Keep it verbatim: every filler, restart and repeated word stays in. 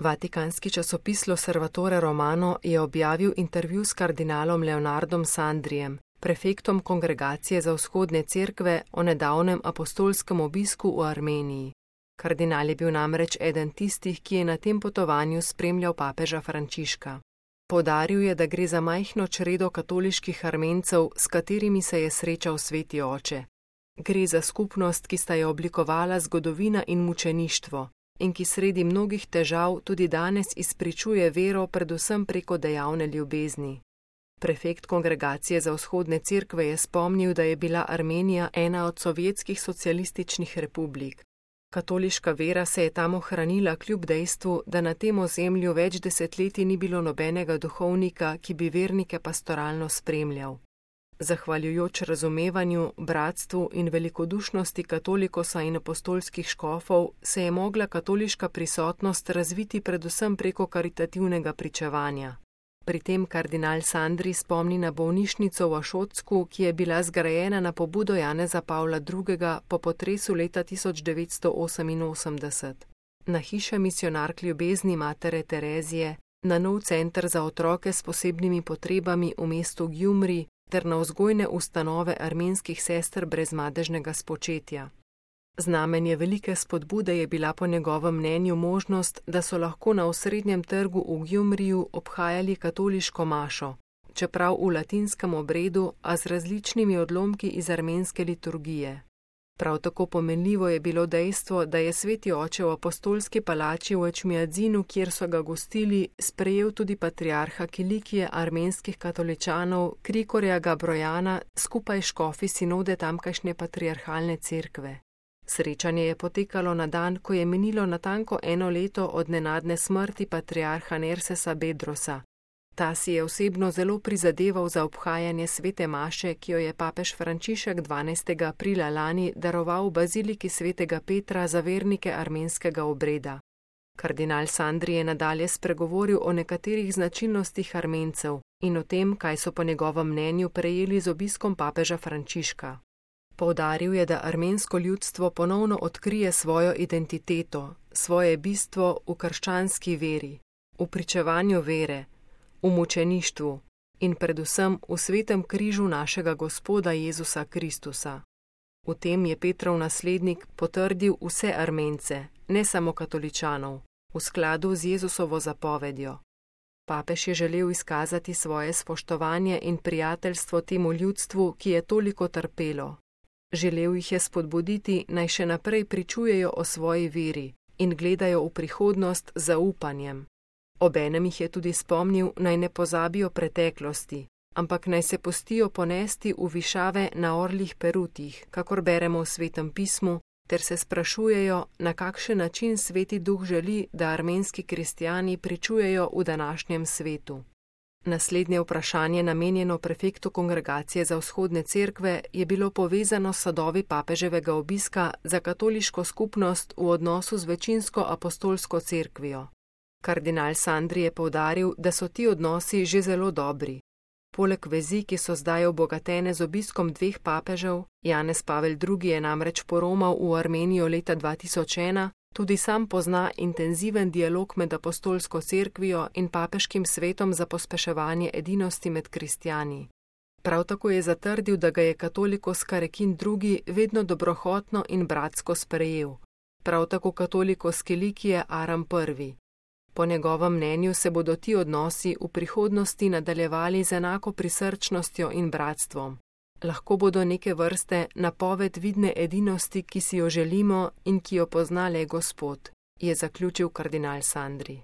Vatikanski časopis L'Osservatore Romano je objavil intervju s kardinalom Leonardom Sandrijem, prefektom Kongregacije za vzhodne cerkve, o nedavnem apostolskem obisku v Armeniji. Kardinal je bil namreč eden tistih, ki je na tem potovanju spremljal papeža Frančiška. Poudaril je, da gre za majhno čredo katoliških Armencev, s katerimi se je srečal sveti oče. Gre za skupnost, ki sta jo oblikovala zgodovina in mučeništvo, in ki sredi mnogih težav tudi danes izpričuje vero predvsem preko dejavne ljubezni. Prefekt Kongregacije za vzhodne cerkve je spomnil, da je bila Armenija ena od sovjetskih socialističnih republik. Katoliška vera se je tam ohranila kljub dejstvu, da na tem ozemlju več desetletij ni bilo nobenega duhovnika, ki bi vernike pastoralno spremljal. Zahvaljujoč razumevanju, bratstvu in velikodušnosti katolikosa in apostolskih škofov se je mogla katoliška prisotnost razviti predvsem preko karitativnega pričevanja. Pri tem kardinal Sandri spomni na bolnišnico v Ašocku, ki je bila zgrajena na pobudo Janeza Pavla drugega po potresu leta tisoč devetsto oseminosemdeset, na hiše misionark ljubezni matere Terezije, na nov center za otroke s posebnimi potrebami v mestu Gjumri ter na vzgojne ustanove armenskih sester brez madežnega spočetja. Znamenje velike spodbude je bila po njegovem mnenju možnost, da so lahko na osrednjem trgu v Gjumriju obhajali katoliško mašo, čeprav v latinskem obredu, a z različnimi odlomki iz armenske liturgije. Prav tako pomenljivo je bilo dejstvo, da je sveti oče v apostolski palači v Ečmiadzinu, kjer so ga gostili, sprejel tudi patriarha Kilikije armenskih katoličanov Krikorja Gabrojana skupaj s škofi sinode tamkajšnje patriarhalne cerkve. Srečanje je potekalo na dan, ko je minilo natanko eno leto od nenadne smrti patriarha Nersesa Bedrosa. Ta si je osebno zelo prizadeval za obhajanje svete maše, ki jo je papež Frančišek dvanajstega aprila lani daroval v baziliki svetega Petra za vernike armenskega obreda. Kardinal Sandri je nadalje spregovoril o nekaterih značilnostih Armencev in o tem, kaj so po njegovem mnenju prejeli z obiskom papeža Frančiška. Poudaril je, da armensko ljudstvo ponovno odkrije svojo identiteto, svoje bistvo v krščanski veri, v pričevanju vere, v mučeništvu in predvsem v svetem križu našega Gospoda Jezusa Kristusa. V tem je Petrov naslednik potrdil vse Armence, ne samo katoličanov, v skladu z Jezusovo zapovedjo. Papež je želel izkazati svoje spoštovanje in prijateljstvo temu ljudstvu, ki je toliko trpelo. Želel jih je spodbuditi, naj še naprej pričujejo o svoji veri in gledajo v prihodnost z zaupanjem. Obenem jih je tudi spomnil, naj ne pozabijo preteklosti, ampak naj se pustijo ponesti v višave na orlih perutih, kakor beremo v Svetem pismu, ter se sprašujejo, na kakšen način Sveti Duh želi, da armenski kristjani pričujejo v današnjem svetu. Naslednje vprašanje, namenjeno prefektu Kongregacije za vzhodne cerkve, je bilo povezano s sadovi papeževega obiska za katoliško skupnost v odnosu z večinsko apostolsko cerkvijo. Kardinal Sandri je poudaril, da so ti odnosi že zelo dobri. Poleg vezi, ki so zdaj obogatene z obiskom dveh papežev, Janez Pavel drugi je namreč poromal v Armenijo leta dva tisoč ena, tudi sam pozna intenziven dialog med apostolsko cerkvijo in papeškim svetom za pospeševanje edinosti med kristjani. Prav tako je zatrdil, da ga je katolikos Karekin drugi vedno dobrohotno in bratsko sprejel, prav tako katolikos Kilikije Aram prvi. Po njegovem mnenju se bodo ti odnosi v prihodnosti nadaljevali z enako prisrčnostjo in bratstvom. Lahko bodo neke vrste napoved vidne edinosti, ki si jo želimo in ki jo pozna le Gospod, je zaključil kardinal Sandri.